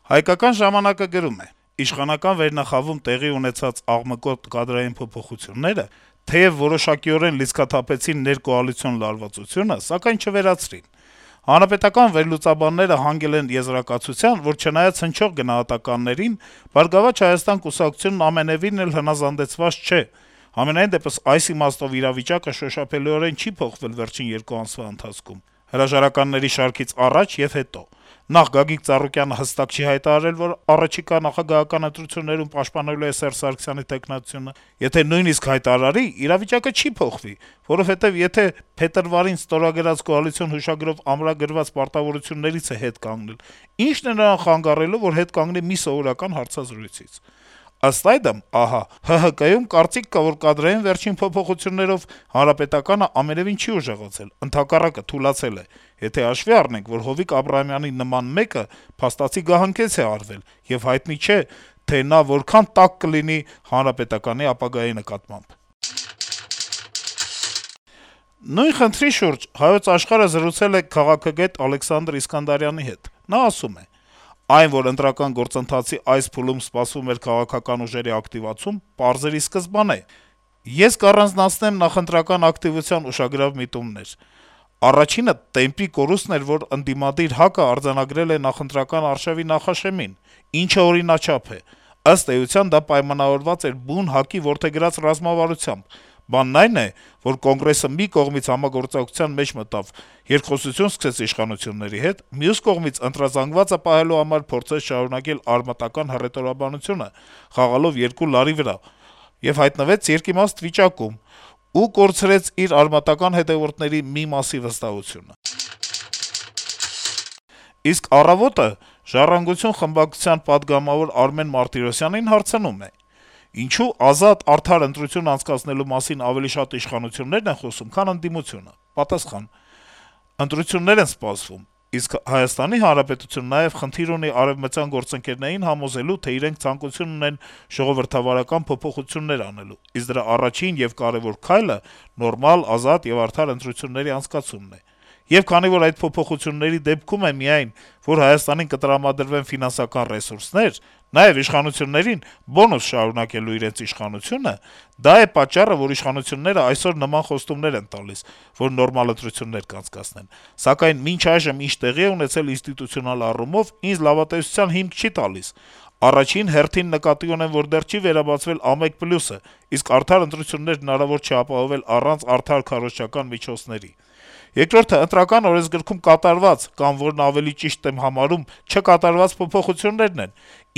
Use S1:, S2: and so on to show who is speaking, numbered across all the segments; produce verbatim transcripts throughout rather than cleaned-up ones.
S1: Հայկական ժամանակը գրում է. - «Իշխանական վերնախավում տեղի ունեցած աղմկոտ կադրային փոփոխությունները թեեւ որոշակիորեն լիցքաթափեցին ներկոալիցիոն լարվածությունը, սակայն չվերացրին: Հանրապետական վերլուծաբանները հանգել են եզրակացության, որ չնայած հնչող գնահատականներին, «Բարգավաճ Հայաստան» կուսակցությունն ամենեւին էլ հնազանդեցված չէ: Համենայն դեպս, այս իմաստով իրավիճակը շոշափելիորեն չի փոխվել վերջին երկու ամսվա ընթացքում: Հրաժարականների շարքից առաջ եւ հետո: Նախ, Գագիկ Ծառուկյանը հստակ չի հայտարարել, որ առաջիկա նախագահական ընտրություններում պաշտպանելու է Սերժ Սարգսյանի թեկնածությունը: Եթե նույնիսկ հայտարարի, իրավիճակը չի փոխվի, որովհետեւ եթե փետրվարին ստորագրած կոալիցիոն հուշագրով ամրագրված պարտավորություններից է հետ կանգնել, ի՞նչն է նրան խանգարելու, որ հետ կանգնի մի սովորական հարցազրույցից: Ըստ այդմ, ահա, ՀՀԿ-ում կարծիք կա, որ կադրային վերջին փոփոխություններով Հանրապետականը ամենեւին չի ուժեղացել, ընդհակառակը, թուլացել է: Եթե հաշվի առնենք, որ Հովիկ Աբրահամյանի նման մեկը փաստացի գահընկեց է արվել, եւ հայտնի չէ, թե նա որքան տաք կլինի Հանրապետականի ապագայի նկատմամբ»: Նույն խնդրի շուրջ «Հայոց Աշխարհ»-ը զրուցել է քաղաքագետ Ալեքսանդր Իսկանդարյանի հետ: Նա ասում է. - «Այն, որ ընտրական գործընթացի այս փուլում սպասվում էր քաղաքական ուժերի ակտիվացում, պարզերի սկզբանե: Ես կառանձնացնեմ նախընտրական ակտիվության ուշագրավ միտումներ: Առաջինը տեմպի կորուստն էր, որ ընդդիմադիր ՀԱԿ-ը արձանագրել է նախընտրական արշավի նախաշեմին, ինչը օրինաչափ է: Ըստ էության, դա պայմանավորված էր բուն ՀԱԿ-ի որդեգրած ռազմավարությամբ: Բանն այն է, որ Կոնգրեսը մի կողմից համագործակցության մեջ մտավ, երկխոսություն սկսեց իշխանությունների հետ, մյուս կողմից ընտրազանգվածը պահելու համար փորձեց շարունակել արմատական հռետորաբանությունը` խաղալով երկու լարի վրա, եւ հայտնվեց երկիմաստ վիճակում ու կորցրեց իր արմատական հետեւորդների մի մասի վստահությունը»: Իսկ «Առավոտ»-ը «Ժառանգություն» խմբակցության պատգամավոր Արմեն Մարտիրոսյանին հարցնում է. - «Ինչո՞ւ ազատ, արդար ընտրություն անցկացնելու մասին ավելի շատ իշխանություններն են խոսում, քան ընդդիմությունը»: Պատասխան. - «Ընտրություններ են սպասվում, իսկ Հայաստանի Հանրապետությունը նաեւ խնդիր ունի արեւմտյան գործընկերներին համոզելու, թե իրենք ցանկություն ունեն ժողովրդավարական փոփոխություններ անելու, իսկ դրա առաջին եւ կարեւոր քայլը նորմալ, ազատ եւ արդար ընտրությունների անցկացումն է: Եվ քանի որ այդ փոփոխությունների դեպքում է միայն, որ Հայաստանին կտրամադրվեն ֆինանսական ռեսուրսներ, նաեւ իշխանություններին բոնուս շարունակելու իրենց իշխանությունը, դա է պատճառը, որ իշխանությունները այսօր նման խոստումներ են տալիս, որ նորմալ ընտրություններ կանցկացնեն: Սակայն մինչ այժմ ինչ տեղի է ունեցել ինստիտուցիոնալ առումով, ինձ լավատեսության հիմք չի տալիս: Առաջին հերթին նկատի ունեմ, որ դեռ չի վերաբացվել ԱՄԵԿ+-ը, իսկ արդար ընտրություններ հնարավոր չէ ապահովել առանց արդար քարոզչական միջոցների: Երկրորդը Ընտրական օրենսգրքում կատարված կամ, որն ավելի ճիշտ եմ համարում, չկատարված փոփոխություններն են,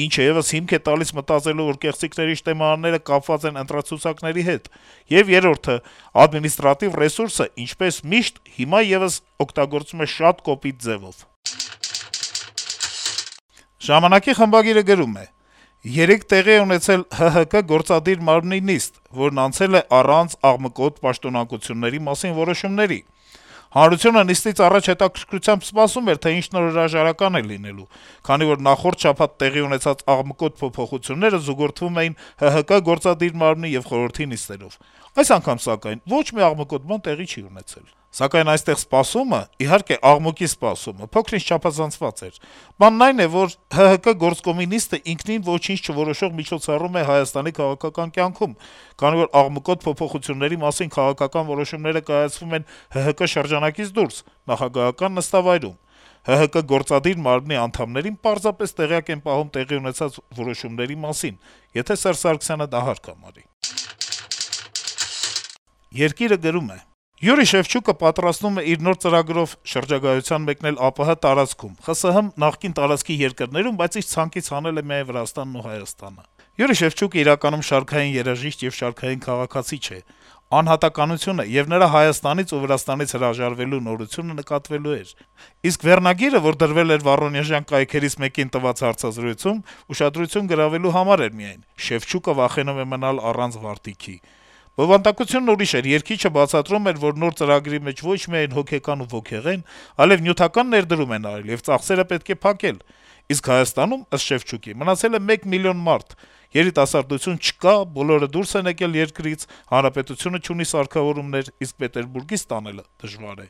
S1: ինչը եւս հիմք է տալիս մտածելու, որ կեղծիքների շտեմարանները կապված են ընտրացուցակների հետ: Եվ երրորդը, ադմինիստրատիվ ռեսուրսը, ինչպես միշտ, հիմա եւս օգտագործվում է շատ կոպիտ ձեւով»: «Ժամանակ»-ի խմբագիրը գրում է. - «Երեկ տեղի է ունեցել ՀՀԿ գործադիր մարմնի նիստ, որն անցել է առանց աղմկոտ պաշտոնանկությունների մասին որոշումների: Հանրությունը նիստից առաջ հետաքրքրությամբ սպասում էր, թե ինչ նոր հրաժարական է լինելու, քանի որ նախորդ շաբաթ տեղի ունեցած աղմկոտ փոփոխությունները զուգորդվում էին ՀՀԿ գործադիր մարմնի եւ խորհրդի նիստերով: Այս անգամ, սակայն, ոչ մի աղմկոտ բան տեղի չի ունեցել: Սակայն այստեղ սպասումը, իհարկե աղմուկի սպասումը, փոքր-ինչ չափազանցված էր: Բանն այն է, որ ՀՀԿ գործկոմի նիստը ինքնին ոչինչ չորոշող միջոցառում է Հայաստանի քաղաքական կյանքում, քանի որ աղմկոտ փոփոխությունների մասին քաղաքական որոշումները կայացվում են ՀՀԿ շրջանակից դուրս` նախագահական նստավայրում: ՀՀԿ գործադիր մարմնի անդամներին պարզապես տեղյակ են պահում տեղի ունեցած որոշումների մասին, եթե Սերժ Սարգսյանը դա հարկ համարի»: «Երկիր»-ը գրում է. - «Յուրի Շևչուկը պատրաստվում է իր նոր ծրագրով շրջագայության մեկնել ԱՊՀ տարածքում, ԽՍՀՄ նախկին տարածքի երկրներում, բայց իր ցանկից հանել է միայն Վրաստանն ու Հայաստանը: Յուրի Շևչուկը իրականում շարքային երաժիշտ եւ շարքային քաղաքացի չէ: Անհատականությունը եւ նրա Հայաստանից ու Վրաստանից հրաժարվելու նորությունը նկատվելու էր: Իսկ վերնագիրը, որ դրվել էր Վառոնեժյան կայքերից մեկին տված հարցազրույցում, ուշադրություն գրավելու համար էր միայն. «Շևչուկը վախենում է մնալ առանց Վարդիքի»: Բովանդակությունն ուրիշ էր. երգիչը բացատրում էր, որ նոր ծրագրի մեջ ոչ միայն հոգեկան ու ոգեղեն, այլեւ նյութական ներդրում են արել եւ ծախսերը պետք է փակել: Իսկ Հայաստանում, ըստ Շևչուկի, մնացել է մեկ միլիոն մարդ: Երիտասարդություն չկա, բոլորը դուրս են եկել երկրից, հանրապետությունը չունի սարքավորումներ, իսկ Պետերբուրգից ստանալը դժվար է»: